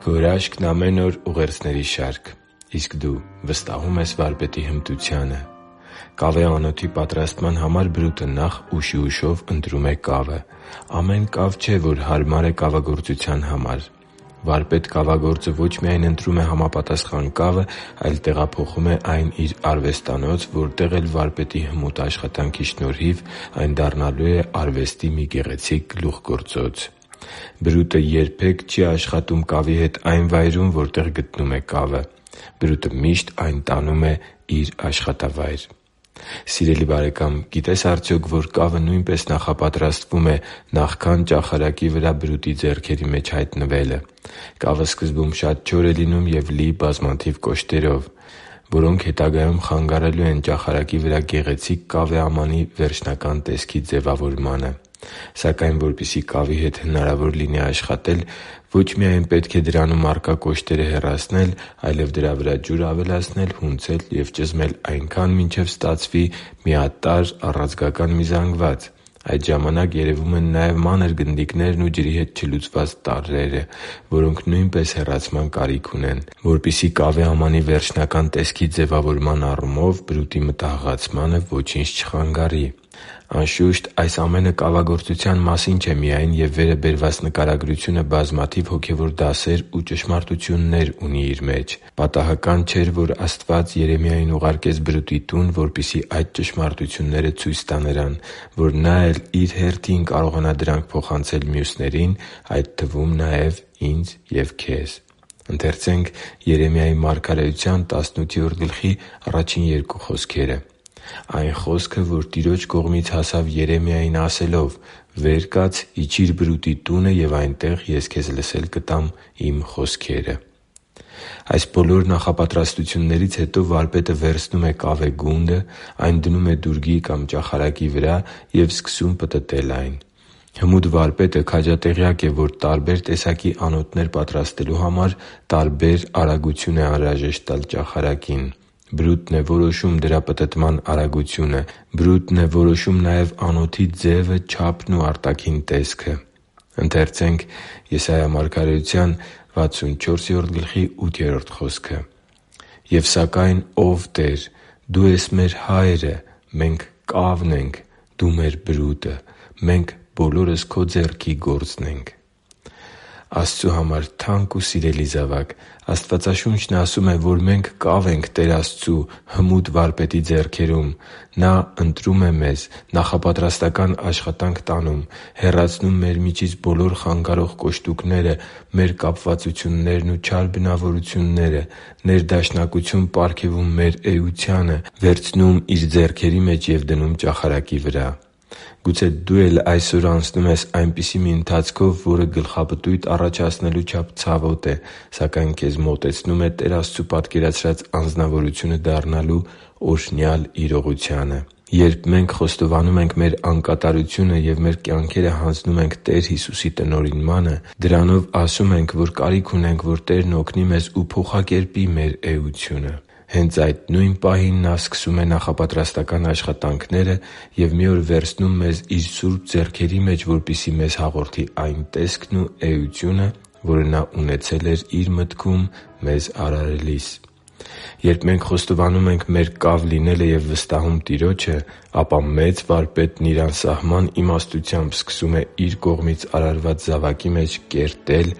Քո հրաշքն ամեն օր ուղերձների շարք։ Իսկ դու վստահո՞ւմ ես վարպետի հմտությանը։ Կավե անոթի պատրաստման համար բրուտը նախ ուշիուշով ընտրում է կավը։ Ամեն կավ չէ, որ հարմար է կավագործության համար։ Վարպետ կավագործը ոչ միայն ընտրում է համապատասխան կավը, այլ տեղափոխում է այն իր արվեստանոց, որտեղ էլ վարպետի հմուտ աշխատանքի շնորհիվ այն դառնալու է արվեստի մի գեղեցիկ գլուխգործոց։ Բրուտը երբեք չի աշխատում կավի հետ այն վայրում, որտեղ գտնում է կավը։ Բրուտը միշտ այն տանում է իր աշխատավայր։ Սիրելի՛ բարեկամ, գիտե՞ս արդյոք, որ կավը նույնպես նախապատրաստվում է նախքան ճախարակի վրա բրուտի ձեռքերի մեջ հայտնվելը։ Կավը սկզբում շատ չոր է լինում և լի բազմաթիվ կոշտերով, որոնք հետագայում խանգարելու են ճախարակի վրա գեղեցիկ կավե ամանի վերջնական տեսքի ձևավորմանը։ Սակայն, որպեսզի կավի հետ հնարավոր լինի աշխատել, ոչ միայն պետք է դրանում առկա կոշտերը հեռացնել, այլև դրա վրա ջուր ավելացնել, հունցել և ճզմել այնքան, մինչև ստացվի միատարր առանցքական մի զանգված։ Այդ ժամանակ երևում են նաև մանր գնդիկներն ու ջրի հետ չլուծված տառերը, որոնք նույնպես հեռացման կարիք ունեն, որպեսզի կավե ամանի վերջնական տեսքի ձևավորման առումով բրուտի մտահղացմանը ոչինչ չխանգարի։ Անշուշտ, այս ամենը կավագործության մասին չէ միայն, և վերը բերված նկարագրությունը բազմաթիվ հոգևոր դասեր ու ճշմարտություններ ունի իր մեջ։ Պատահական չէր, որ Աստված Երեմիային ուղարկեց բրուտի տուն, որպեսզի այդ ճշմարտությունները ցույց տա նրան, որ Նա էլ Իր հերթին կարողանա դրանք փոխանցել մյուսներին, այդ թվում նաև ինձ և քեզ։ «Այն խոսքը, որ Տիրոջ կողմից հասավ Երեմիային ասելով. «Վեր կաց, իջիր բրուտի տունը, և այնտեղ ես քեզ լսել կտամ Իմ խոսքերը»» (Երեմիայի մարգարեության 18:1)։ Այս բոլոր նախապատրաստություններից հետո վարպետը վերցնում է կավե գունդը, այն դնում է դուրգի կամ ճախարակի վրա և սկսում պտտել այն։ Հմուտ վարպետը քաջատեղյակ է, որ տարբեր տեսակի անոթներ պատրաստելու համար տարբեր արագություն է անհրաժեշտ տալ ճախարակին։ Բրուտն է որոշում դրա պտտման արագությունը։ Բրուտն է որոշում նաև անոթի ձևը, չափն ու արտաքին տեսքը։ «Եվ սակայն, ո՛վ Տեր, Դու ես մեր Հայրը, մենք կավն ենք, Դու մեր բրուտը, մենք բոլորս Քո ձեռքի գործն ենք» (Եսայիա 64:8)։ Աստծու համար թանկ ու սիրելի՛ զավակ, Աստվածաշունչն ասում է, որ մենք կավ ենք Տեր Աստծու հմուտ Վարպետի ձեռքերում։ Նա ընտրում է մեզ, նախապատրաստական աշխատանք տանում, հեռացնում մեր միջից բոլոր խանգարող կոշտուկները, մեր կապվածություններն ու չար բնավորությունները, ներդաշնակություն պարգևում մեր էությանը, վերցնում Իր ձեռքերի մեջ և դնում ճախարակի վրա։ Գուցե դու էլ այսօր անցնում ես այնպիսի մի ընթացքով, որը գլխապտույտ առաջացնելու չափ ցավոտ է, սակայն քեզ մոտեցնում է Տեր Աստծու պատկերացրած անձնավորությունը դառնալու օրհնյալ իրողությանը։ Երբ մենք խոստովանում ենք մեր անկատարությունը և մեր կյանքերը հանձնում ենք Տեր Հիսուսի տնօրինմանը, դրանով ասում ենք, որ կարիք ունենք, որ Տերն օգնի մեզ ու փոխակերպի մեր էությունը։ Հենց այդ նույն պահին Նա սկսում է նախապատրաստական աշխատանքները և մի օր վերցնում մեզ Իր սուրբ ձեռքերի մեջ, որպեսզի մեզ հաղորդի այն տեսքն ու էությունը, որը Նա ունեցել էր Իր մտքում մեզ արարելիս։ Երբ մենք խոստովանում ենք մեր կավ լինելը և վստահում Տիրոջը, ապա Մեծ Վարպետն Իր անսահման իմաստությամբ սկսում է Իր կողմից արարված զավակի մեջ կերտել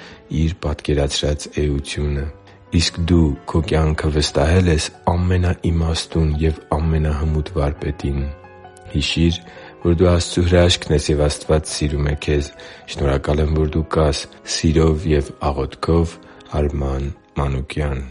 Իր պատկերացրած էությունը։ Իսկ դու քո կյանքը վստահե՞լ ես ամենաիմաստուն և ամենահմուտ Վարպետին։ Հիշի՛ր, որ դու Աստծո հրաշքն ես, և Աստված սիրում է քեզ։ Շնորհակալ եմ, որ դու կա՛ս։ Սիրով և աղոթքով, Արման Մանուկյան։